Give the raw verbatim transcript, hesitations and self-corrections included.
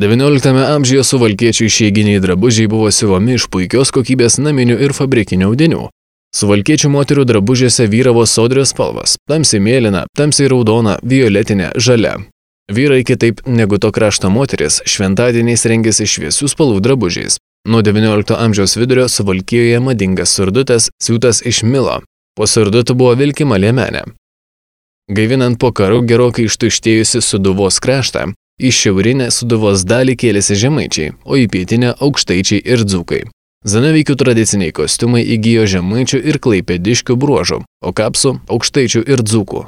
devynioliktame amžiuje suvalkiečių išeiginiai drabužiai buvo siuvami iš puikios kokybės naminių ir fabrikinių audinių. Suvalkiečių moterų drabužiuose vyravo sodrios spalvos – tamsiai mėlyna, tamsiai raudona, violetinė, žalia. Vyrai kitaip negu to krašto moteris šventadieniais rengėsi šviesių spalvų drabužiais. Nuo devyniolikto amžiaus vidurio Suvalkijoje madingas surdutės siūtas iš milo. Po surdutų buvo vilkima liemenė. Gaivinant po karų gerokai ištuštėjusi Sūduvos kraštą, į šiaurinę Sūduvos dalį kėlėsi žemaičiai, o į pietinę aukštaičiai ir dzūkai. Zanavykių tradiciniai kostiumai įgijo žemaičių ir klaipėdiškių bruožų, o kapsų aukštaičių ir dzūkų.